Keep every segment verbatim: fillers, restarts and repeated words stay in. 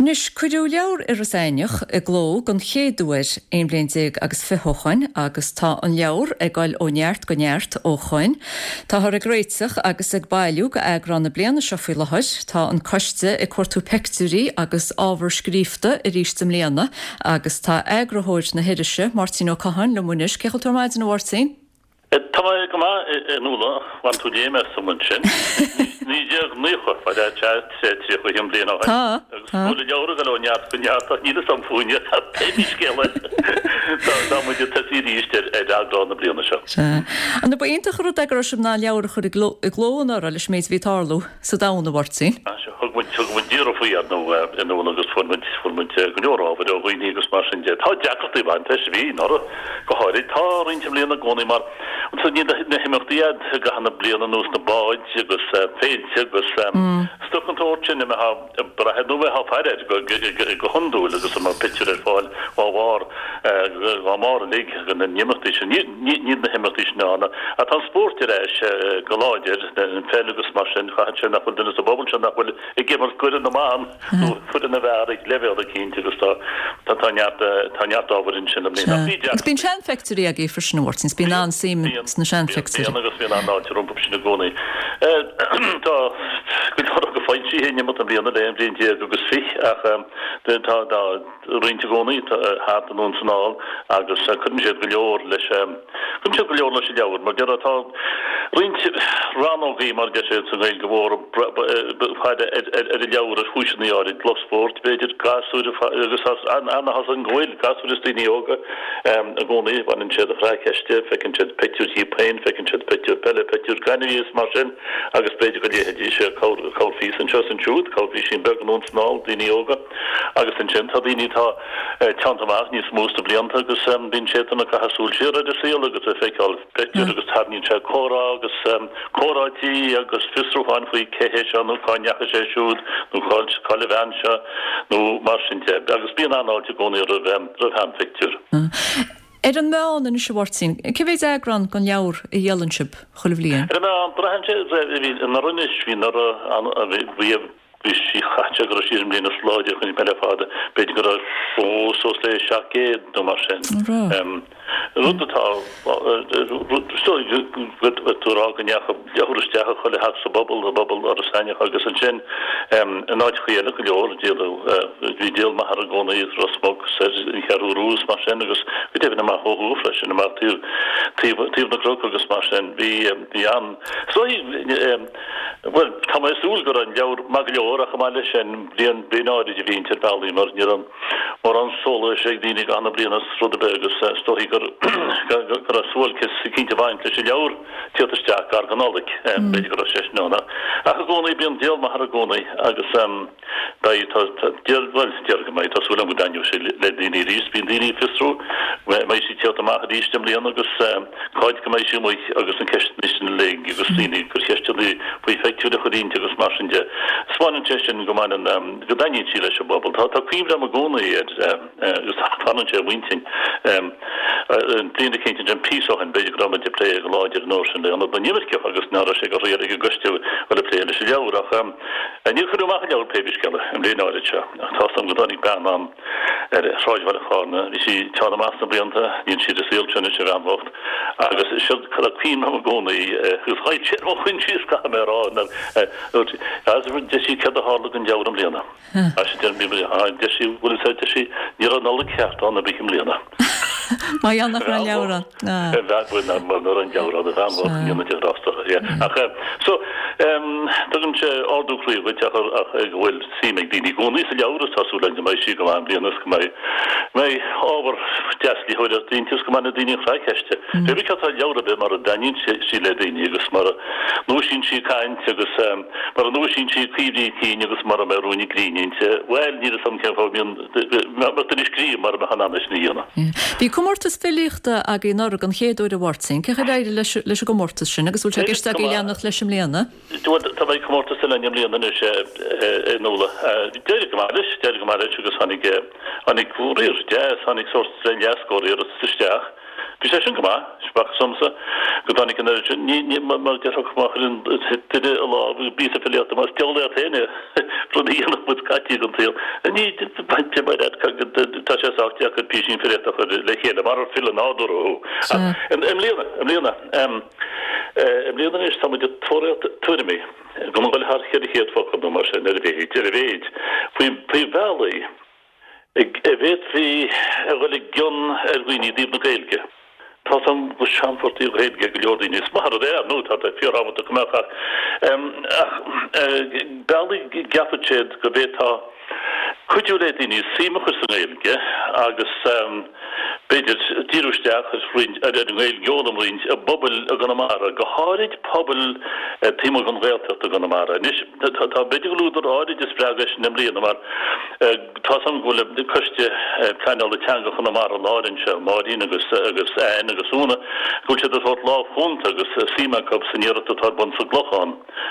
Anois, cuireadh leabhar Iorras Aithneach i gcló den chéad uair aon bhliain déag agus fiche ó shoin agus tá an leabhar ag dul ó neart go neart ó shoin. Táthar ag réiteach agus ag bailiú go eagrán na bliana seo faoi láthair. Tá an coiste ag cuartú peictiúirí agus ábhar scríofa arís i mbliana agus tá eagarthóir na hirise Máirtín Ó Catháin liom anois. Cén chaoi a bhfuil tú ar maidin, a Mháirtín? Tá mé go maith, a Nuala, bhain tú léim asam ansin. Naoi déag naocha, ba ea tríocha a haon bliain ó shin. Tá, Agus tá. go bhfuil an leabhar ag dul ó neart go neart ach níl fhios a'm fúinne, pé bí scéal é. Tá tá muid ag tosaí arís ar ar eagrán na bliana seo. Sea. An ba iontach an rud é go raibh sibh in ann an leabhar a chur i gcló i gcló anuraidh leis an méid a bhí ag tarlú sa domhan, a Mháirtín? Sea, thug muid thug muid iarraidh faoi ar ndóigh a Nuala agus fuair muid fuair muid go leor ábhair ó dhaoine agus mar sin de. Tá deacrachtaí ag baint leis, bhí anuraidh go háirid. Tá roinnt i mbliana i gcónaí mar ansan níl na himeachtaí a'd i gcaitheamh na bliana ar nós na báid agus féilte agus stuff den tsórt sin a mbeifeá ag brath air nó a mbeifeá ag faire air go hiondúil agus a mbeadh pictiúir ar fáil dá bharr dá mbarr uilig na n-imeachtaí sin. Níl na himeachtaí sin ann ach tá an spórt ar ais go láidir, an pheil agus mar sin, chaithfeadh sé nach bhfuil duine sa bpobal seo nach bhfuil ag imirt d'fhoireann na mban nó foireann na bhfear ag leibhéal eicínt agus tá tá neart tá neart ábhair ansin i mbliana. Ach bhí Agus deacrachtaí. bíonn seanphictiúirí agaibh freisin, a Mháirtín, 's bíonn an-suim Bíonn, sna bíonn, seanphictiúirí. bíonn agus bíonn an-fháilte rompu sin i gcónaí. Tá go leor acu foilsithe in imeacht na bliana le aon bhliain déag agus fiche ach tá tá roinnt i gcónaí thart anonn 's anall agus cuireann siad go leor leis cuireann siad go leor leis an leabhar mar déarfá tá roinnt rannógaí mar a deir siad sa nGaeilge mhór ag faire ar an leabhar ar chúiseanna áirid, lucht spóirt b'fhéidir, gasúir agus ana-thá's againn go bhfuil gasúir is daoine óga i gcónaí, baineann siad an chraic aisti, feiceann siad pictiúir dhíob féin, feiceann siad pictiúir peile, pictiúir gainmhí is mar sin agus b'fhéidir go léifidís corrphíosa anseo is ansiúd, corrphíosín beag anonn 's anall, daoine óga agus ansin tá daoine atá teannta amach níos mó sna blianta agus bíonn siad ag caitheamh súil siar ar a saol agus ag feiceáil pictiúir agus tarraingíonn sé comhrá agus comhráití agus fiosrúcháin faoi cé hé seo nó cá ndeachaigh sé siúd nó cá'il an bhean seo nó mar sin de agus bíonn an-fháilte i gcónaí roimh roimh sheanphictiúr. Ar an meán anois a Mháirtín, cé mhéid eagrán den leabhar a dhíolann sibh chuile bhliain? Ar an meán, braitheann sé, bhí anuraidh anois, bhí anuraidh, bhí bhí sí chaith sé go raibh sí ar an mbliain is láidre chun peile fada, b'fhéidir go raibh ó suas le seacht gcéad nó mar sin. An raibh? Rud atá tú ag rá go ndeachaigh leabhar isteach i chuile theach sa bpobal, i bpobal Iorras Aithneach agus ansin in áiteachaí eile go leor, díoladh, bhí díol maith air i gcónaí, Ros Muc, ar an Cheathrú Rua is mar sin agus go deimhin amach ó thuaidh freisin, amach taobh, taobh, taobh na gcnoc agus mar sin. Bhí, bhí an, is dóigh, bhuel, tá mé ag súil go raibh an leabhar maith go leor ach chomh maith leis sin, bliain, bliain áirid a bhí inti ar bhealaí mar ní raibh mórán sólais ag daoine i gcaitheamh na bliana is rud ar bith agus is dóichí gur, go raibh suáilceas eicínt ag baint leis an leabhar tíocht isteach gar don Nollaig, b'fhéidir go raibh sé sin ann. Ach i gcónaí, bíonn díol maith air i gcónaí agus beidh, tá, tá, díol, bhuel, déarfainn go mbeidh, tá súil agam go dtaitneoidh sé le daoine arís, bíonn daoine ag fiosrú, mbeidh sí ag tíocht amach arís i mbliana agus cá fhad go mbeidh sí amuigh agus na ceisteanna sin uilig agus daoine ag cur ceisteanna faoi phictiúir a chur inti agus mar sin de. Spáineann sé sin go mbaineann, go dtaitníonn sí leis an bpobal. Tá, tá cuimhne agam i gcónaí ar, agus fanann sé i m'intinn, bliain eicínt ansin píosa ó shin, b'fhéidir go raibh muid ag plé go láidir an uair sin le Ionad na nImirceach agus ná raibh sé go thriail ag an gcoiste dul ag plé leis an leabhar ach níor cuireadh amach an leabhar pé bí scéal é, an bhliain áirid seo. Ach tá's agam go dtáinig bean ann ar Shráid Bhaile Chárna, bhí sí teann amach sna blianta, níl sí ar an saol seo anois, an bhean bhocht, agus siod tá cuimhne agam i gcónaí agus ghoill sé ar mo choinsias, caithfidh mé a rá, nuair a deir sí céard a tharla don leabhar i mbliana. Sea, deir mé, deir sí, bhfuil fhios agat, deir sí, ní raibh Nollaig cheart ann ar bith i mbliana. Mar gheall nach raibh an leabhar ann. Bhean bhuel ná mar nach raibh an leabhar ann, a bhean bhocht, ní na grásta, yeah. Ach so, tugann sé ardú croí dhuit ach ach go bhfuil suim ag daoine i gcónaí sa leabhar is tá súil againn go mbeidh sí go maith i mbliana is go mbeidh mbeidh ábhar deas léitheoireachta inti is go mbainfidh daoine an chraic aisti. Pé bí cad tá leabhar ar bith mara dtaitníonn sí le daoine agus mara ndúisíonn sí caint agus mara ndúisíonn sí cuimhní cinn agus mara mbeidh ruainne grinn inti, bhuel, níl fhios agam cén fáth a mbíonn mbeadh duine ag scríobh mara mbeadh in ann é sin a dhéanamh. Bhí comórtas filíochta agaibh anuraidh an chéad uair a Mháirtín. Cén chaoi ar éirigh leis leis an gcomórtas sin agus bhfuil sé i gceist agaibh leanacht leis i mbliana? Bhuel, tá beidh comórtas eile againn i mbliana anois, a Nuala. D'éirigh go maith leis, d'éirigh go maith leis agus tháinig tháinig riar deas, tháinig sórt leathscór iarratas isteach. Bhí sé sin go maith, b'fhacthas domsa go dtáinig an oiread sin, ní, ní, mar déarfadh má chuireann duine a lámh i bpíosa filíochta, más diabhal leat féin é, rud a dhéanfadh muid scaití den tsaol. Ní, bainte mar leat, tá sé sách deacair písín filíochta a chur le chéile, marar file nádúrtha thú. Ach i mbliana, i mbliana, i mbliana anois tá muid ag tóraíocht tuairimí, gan a dhul thar cheithre chéad focal nó mar sin ar a mhéid, ar a mhéid, faoi, faoi bhealaí a bhféadfaí a dhul i gcion ar dhaoine i dtaobh na Gaeilge. Tá 's a'm go seanphort í an Ghaeilge ag go leor daoine. Is maith an rud é, ar ndóigh, tá sé fíorthábhachtach go mbeadh ach ach bealaí a gceapann siad go bhféadfá cuidiú le daoine suim a chur sa nGaeilge agus b'fhéidir díriú isteach ar roinnt ar an nGaeilge a fhoghlaim roinnt i bpobail i gConamara, go háirid pobail taobh amuigh den Ghaeltacht i gConamara. Anois tá b'fhéidir go bhfuil údar áirid a spreag é sin i mbliana mar tá 's a'm go bhfuil Coiste Pleanála Teanga Chonamara Láir anseo, Máirín agus agus Anne agus Úna, go bhfuil siad ag tabhairt lámh chúnta agus suim acu san iarracht atá ar bun sa gClochán,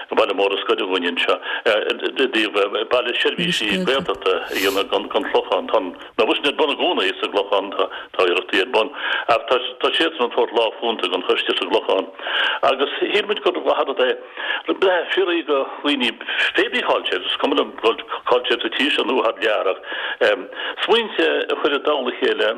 an baile mór is gaire dhúinn anseo, i dtaobh baile seirbhísí Gaeltachta a dhéanamh den Chlochán. Tá an obair sin ar bun i gcónaí sa gClochán, tá tá iarrachtaí ar bun ach tá tá siadsan ag tabhairt lámh chúnta don choiste sa gClochán agus shíl muid gur mhaith an rud é le fiafraí de dhaoine pé bí cá'il siad, is cuma liom cá'il siad sa tír seo nó thar lear ach smaointe a chur i dtoll a chéile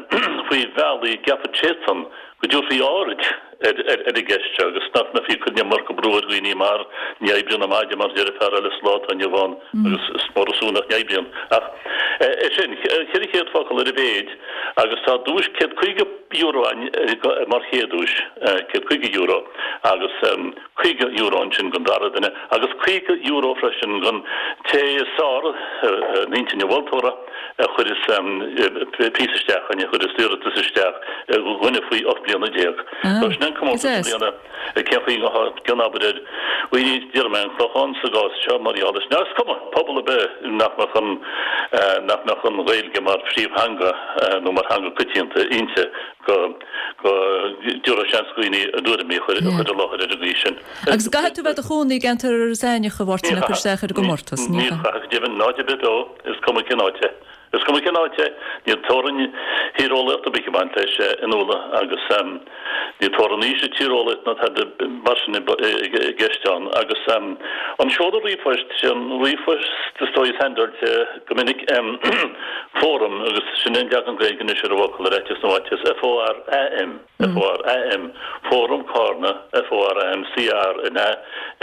faoi bhealaí a gceapann siadsan go dtabharfaí aird ar an gceist seo agus nach mbeifí ag cur an iomarca brú ar dhaoine mar ní oibríonn an maide mar a deir fear eile sa lá atá inniu ann agus is mór an suan nach n-oibríonn. Ach é sin, ceithre chéad focal ar a mhéid agus tá duais céad caoga euro ann mar chéad duais, céad caoga euro agus caoga euro ansin don dara duine agus caoga euro freisin don té is fearr in intinn an mholtóra a chuireas píosa isteach, a chuireas iarratas isteach, dhuine faoi ocht mbliana déag. So sin an comórtas i mbliana, cén chaoi a ngabhfá i gcion abair ar dhaoine, déarfaidh mé an Clochán sa gcás seo mar gheall leis, is cuma, pobal ar bith nach mbeadh an, nach mbeadh an Ghaeilge mar phríomhtheanga nó mar theanga coitianta inti go, go dtabharfá seans do dhaoine a dtuairimí a chur i láthair ar an gcaoi sin. Agus caithfidh tú bheith i do chónaí i gceantar Iorras Aithneach a Mháirtín le cur isteach ar an gcomórtas, ní chaithfidh, deimhin, in áit ar bith beo, is cuma cén áit é. Is cuma cén áit é, níl teorainn thíreolaíochta ar bith ag baint leis in Uladh agus níl teorainn aoise tíreolaíocht ná tada mar sin i gceist ann. Agus an seoladh ríomhphoist, sé an ríomhphost is dóigh is handáilte go minic, fóram, agus sin é an leagan Gaeilge anois ar an bhfocal, ar fhaitíos na bhfaitíos, F O R A M. F O R A M, Fóram Cárna, F O R A M C A R N A,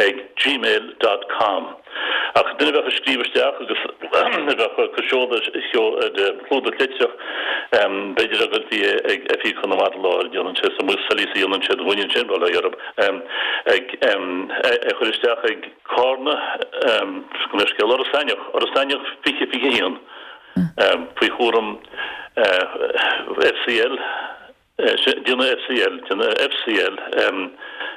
ag gmail dot com. Ach duine a bheadh ag scríobh isteach agus a bheadh ag cur seoladh ar chlúdach litreach, b'fhéidir a gcuirfí é ag Oifig Chonamara Láir, déanann sé sa soilíos a dhéanann siad dhúinn ansin, bail ó Dhia orthu, ag é chur isteach ag Cárna, gabh mo leithscéal, Iorras Aithneach, Iorras Aithneach fiche fiche a haon, faoi chúram F C L. Déanamh F C L, déanamh F C L,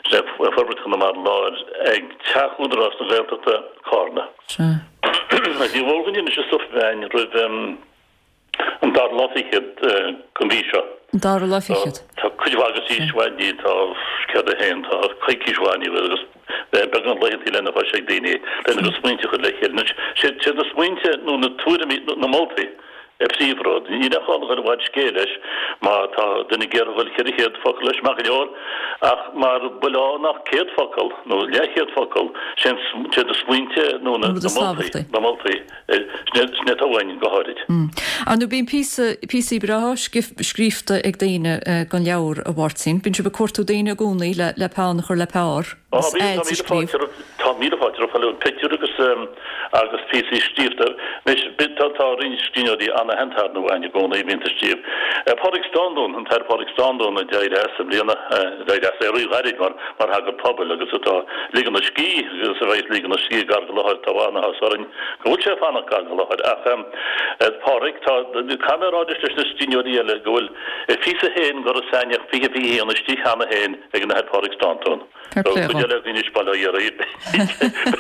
sin é Forbairt Chonamara Láir, ag Teach Údarás na Gaeltachta, Cárna. Sea. Ní mór dhúinn anois an stuif a mheáin roimh an dara lá fichead den mhí seo. An dara lá fichead. Tá cuid mhaith agus uainn, tá céad a haon, tá coicís uainn agus beagán laethanta lena chois ag daoine lena gcuid smaointe a chur le chéile. Anois, siad na smaointe nó na tuairimí, na moltaí, an príomhrud. Níl aon chall a dhul i bhfad scéil leis má tá duine ag iarraidh a dhul ceithre chéad focal leis, maith go leor, ach mara bhfuil ann ach céad focal nó leathchéad focal, sin iad na smaointe nó na moltaí, na moltaí, sin é atá uainn go háirid. Ar ndóigh bíonn píosa, píosaí breátha scríofa ag daoine don leabhar, a Mháirtín. Bíonn sibh ag cuartú daoine i gcónaí le peann a chur le pár. Á, bíonn, tá míle fáilte roimh, tá míle fáilte roimh chuile pictiúr agus, agus píosaí scríofa. Anois, tá, tá roinnt scríbhneoirí an-aitheanta ar ndóigh againn i gcónaí a bhíonn ag scríobh. Pádraig Standún, an tAthair Pádraig Standún a d'éirigh as i mbliana, a d'éirigh as le rí-ghairid mar, mar shagart pobail agus atá ag ligean a scíth agus a bheidh ag ligean a scíth gar do láthair, tá an-áthas orainn go bhfuil sé ag fanacht gar do láthair. Ach, Pádraig, tá, caithfidh mé a rá leis na scríbhneoirí eile go bhfuil a phíosa féin d'Iorras Aithneach fiche fiche a haon istigh cheana féin ag an Athair Pádraig Standún. Fair play dhó. eile againn anois Baile Átha Iarraidh.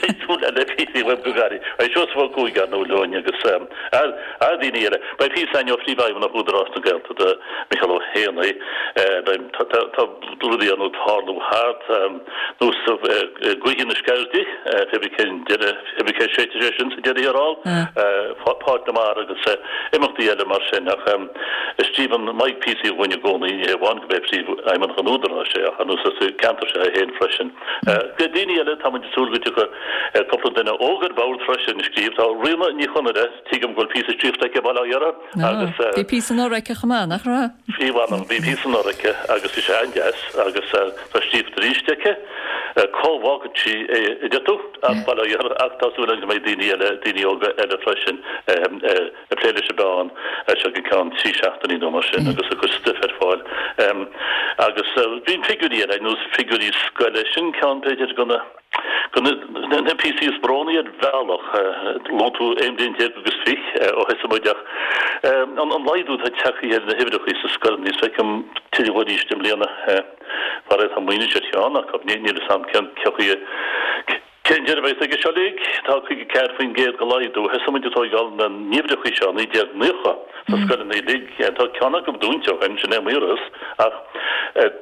Beidh súil le píosaí uaim go gairid. Beidh Seosamh Ó Cuaig ar ndóigh linn agus daoine eile. Beidh píosa againn ó Phríomhfheidhmeannach Údarás na Gaeltachta, Micheál Ó hÉanaí. Beidh tá rudaí ar ndóigh tarlú thart nós Gaoithe na Sceirde, pé bith cén deireadh, pé bith cé séidfidh sé sin sa deireadh thiar thall, Páirc na Mara agus imeachtaí eile mar sin. Ach scríobhann Mike píosaí dhúinn i gcónaí, ní hé amháin go b'é Príomhfheidhmeannach an Údaráis é ach ar nós as an gceantar seo é féin freisin. Daoine eile, tá muid ag súil go dtiocfaidh cúpla duine óg ar bord freisin ag scríobh. Tá Ríona Ní Chonaire, tuigim go bhfuil píosa scríofa aici i Baile Átha Iarraidh agus. Bhí píosa anuraidh aici chomh maith, nach raibh? Bhí, mh'anam, bhí píosa anuraidh aici agus bhí sé an-deas agus tá scríofa arís aici. Cá bhfágfaidh sí é, a deir tú? As Baile Átha Iarraidh ach tá súil againn go mbeidh daoine eile, daoine óga eile freisin ag plé leis an bpeann as seo go ceann trí seachtainí nó mar sin agus ag cur stuif ar fáil. Agus bíonn figiúirí eile, ar nós figiúirí scoile, sin ceann b'fhéidir de na de na píosaí is brónaí ar bhealach. Luaigh tú aon bhliain déag agus fiche ó thosaigh muid ach an laghdú atá tagtha ar na huimhreacha sa scoileanna, is feicim tuilleadh arís i mbliana. Faraor tá muid ar cheann acu, níl a fhios agam cén chaoi a Cén deireadh a bheas aige seo uilig? Tá caoga ceathair faoin gcéad de laghdú. Thosaigh muid ag tóigeáil na n-uimhreacha seo i naoi déag naocha sna scoileanna uilig. Tá ceann acu dúnta ó shin, sin é Maoras, ach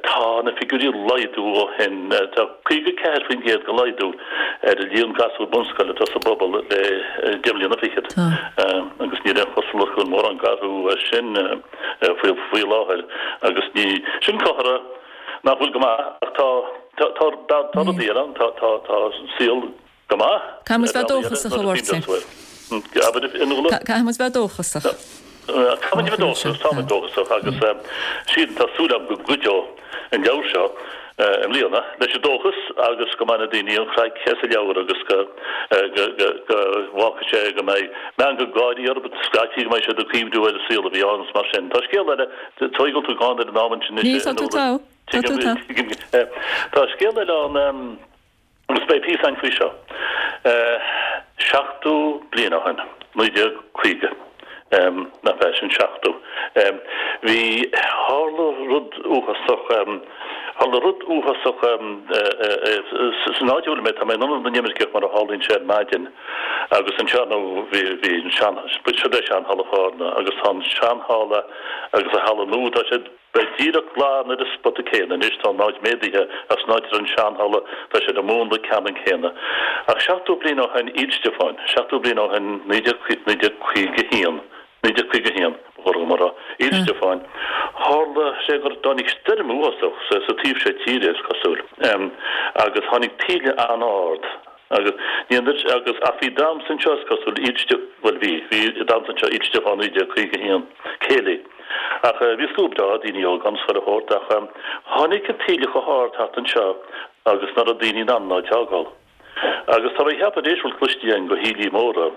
tá na figiúirí ag laghdú ó shin. Tá caoga ceathair faoin gcéad de laghdú ar an líon gasúr bunscoile atá sa bpobal le deich mbliana fichead. Agus níl aon chosúlacht go bhfuil mórán ag athrú as sin faoi láthair. Agus ní, sin comhartha nach bhfuil go maith ach tá tá tá tá rudaí eile ann, tá tá tá saol go maith. Caithfidh muid bheith dóchasach a Mháirtín. Abair Fionnuala? Caithfidh muid bheith dóchasach. Caithfidh muid bheith dóchasach, tá muid dóchasach agus sílim, tá súil agam go gcuideoidh an leabhar seo i mbliana leis an dóchas agus go mbainfidh daoine an chraic as an leabhar agus go go go go bhfágfaidh sé go mbeidh meangadh gáirí orthu, scaití go mbeidh siad ag cuimhniú ar an saol a bhí ann is mar sin. Tá scéal eile, tuigim go bhfuil tú gann ar an am ansin anois a Ní, tá tú Fhionnuala. togha. Tá tú Tuigim, togha. tuigim. Tá scéal eile ann agus beidh píosa againn faoi seo. Seachtó bliain ó shin, naoi déag caoga, nach ea, sin seachtó, bhí, tharla rud uafásach, tharla rud uafásach san áit a bhfuil mé, tá mé in Ionad na nImirceach mar a tharlaíonn sé ar maidin agus anseo nó bhí, bhí an sean, siod é sean-Halla Chárna agus tá an sean-halla agus an halla nua, tá siad, Beidh díreach glan ar an spota céanna anois, tá an áit méadaithe ach san áit a raibh an sean-halla, tá sé ar an múnla ceannann céanna. Ach seachtó bliain ó shin, Oíle Stiofáin, seachtó bliain ó shin, naoi déag naoi déag caoga haon, naoi déag caoga haon, ba chóir dhom a rá, Oíle Stiofáin, tharla sé gur dtáinig stoirm uafásach sa sa taobh seo tíre, is cosúil, agus tháinig taoille an-ard agus ní an agus ach bhí damhsa anseo, is cosúil, Oíle Stiofáin, bhuel bhí, bhí damhsa anseo, Oíle Stiofáin naoi déag caoga haon, céilí. Ach bhí slua breá daoine óga ann chuile shórt ach tháinig an taoille chomh hard thart anseo agus ná raibh daoine in ann an áit a fhágáil. Agus tá mé ag ceapadh arís bhfuil cloistí againn go thaoillí móra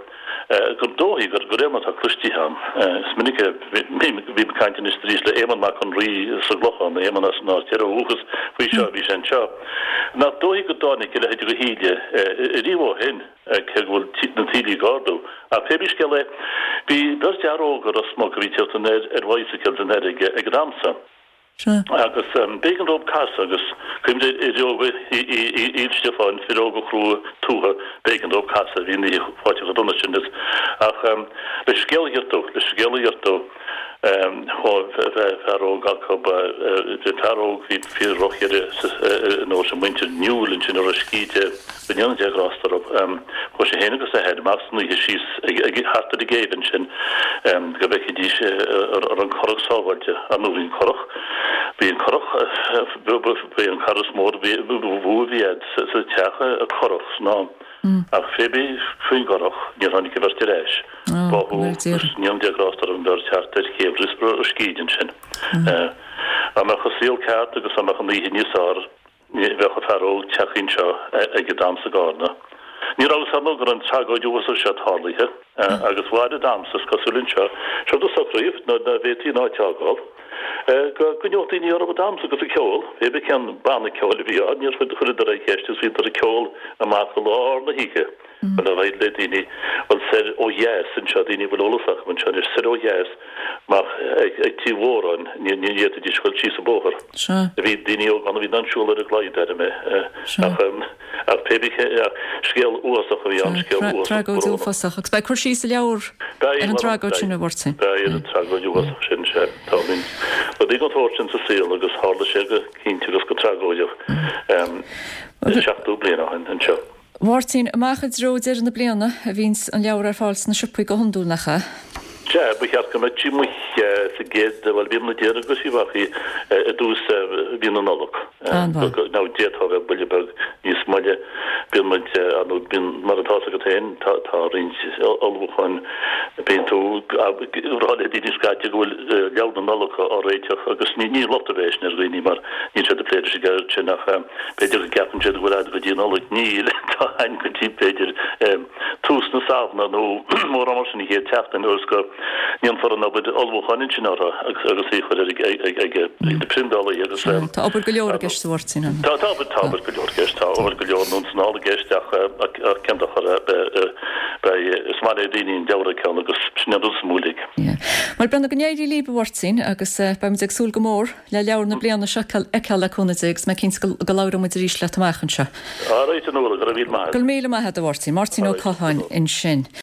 gur dóichí gur de réir mar atá cloistí agam. Is minic a bhím ag caint anois arís le Éamonn Mac an Rí sa gClochán, Éamonn as an Áth Thoir ó dhúchas faoi seo, bhí sé anseo. Nach dóichí go dtáinig a leithéid de thaoille riamh ó shin. cé go bhfuil na taoillí ag ardú. Ach pé bí scéal é, bhí beirt fhear óg i Ros Muc a bhí ag tíocht anoir ar bhicycles an fharraige ag an am san. Agus b'éigean dóibh casadh agus cuimhnigh ar fhir óga Oíle Stiofáin, fir óga chrua tuaithe, b'éigean dóibh casadh, bhí an oíche fáite chomh dona sin. Ach leis an scéal a ghiortú, leis an scéal a ghiortú, chuaigh fear óg acu, bhí fear óg, bhí fíor-dhroch-éirí an uair sin, muintir Newell ansin i Ros Cíde, Go ndéana Dia grásta orthu. Chuaigh sé féin agus a athair amach san oíche síos ag thart ar an gcéibh ansin go bhfeicfidís an raibh an curach sábháilte. Ar ndóigh bhí an curach, bhí an curach, bhí an cara is mó a bhí a bhí a'd sa teach, an curach san am. Ach pé bí faoin gcurach, níor tháinig an bheirt ar ais. Báthadh, go ndéana Dia grásta orthu an bheirt thart ar chéibh Ros Cíde ansin. Dá mbeadh an saol ceart agus dá mbeadh an oíche níos fearr, Ní bheadh an fear óg tagtha anseo ag an damhsa i gCárna. Ní raibh a fhios ar ndóigh go raibh an tragóid uafásach seo tarlaithe agus mhair an damhsa, is cosúil anseo, seo do socraíodh nuair ná bhféadfaí an áit a fhágáil, go gcoinneodh daoine orthu ag damhsa agus ag ceol. Pé bí cén banna ceoil a bhí ann, níor chuireadar aon cheist agus bhíodar ag ceol amach i lár na hoíche. Dul ar aghaidh le daoine, bhuel soir ó dheas anseo, daoine a bhfuil eolas acu anseo anois, soir ó dheas, amach ag Tí Mhóráin, ní fhéadfaidís dul síos an bóthar. Bhí daoine óga ann a bhí in ann siúl ar an gclaí, deirim é. Ach ach pé bí scéal uafásach a bhí ann, scéal uafásach. Tragóid uafásach. Agus beidh cur síos sa leabhar ar an tragóid sin, a Mháirtín. Beidh ar an tragóid uafásach sin, sea. Tá rudaí den tsórt sin sa saol agus tharla sé go cinnte agus go tragóideach seachtó bliain ó shin anseo. Mháirtín, amach i dtreo deireadh na bliana a bhíonns an leabhar ar fáil sna siopaí go hiondúil, nach ea? Sea, ba cheart go mbeadh sí amuigh sa gcéad, bhuel, bíonn muid ag iarraidh go mbeadh sí i dtús mhí na Nollag. An-mhaith. Nó d'fhéadfadh a bheith buille beag níos moille. Bíonn muid, ar ndóigh, bíonn, mar atá 'fhios agat féin, tá tá roinnt ullmhúcháin, bíonn tú ag rá le daoine scaití go bhfuil leabhar na Nollag á réiteach agus ní ní locht ar bith é sin ar dhaoine mar níl siad ag plé leis an gceird sin ach B'fhéidir go gceapann siad go bhfuil a'd go dtí an Nollaig. Níl, tá a'inn go dtí, b'fhéidir, tús na Samhna nó mórán mar sin, an chéad tseachtain, ionas go ndéanfar an obair ullmhúcháin ansin orthu agus agus í a chur ar ag ag na priondálaithe agus. Tá obair go leor i gceist, a Mháirtín. Tá, tá obair, tá obair go leor i gceist, tá obair go leor anonn is anall i gceist ach ach cén dochar, beidh, is maith le daoine an leabhar a fheiceáil agus sin an rud is mó uilig. Bhuel, beannacht go n-éirí libh, a Mháirtín, agus beidh muid ag súil go mór le leabhar na bliana seo a fheiceáil le cúnamh Dé agus mé cinnte go labhróidh muid arís leat amach anseo. Alright a Nuala, go raibh míle maith agat. Go raibh míle maith agat a Mháirtín. Máirtín Ó Catháin ansin.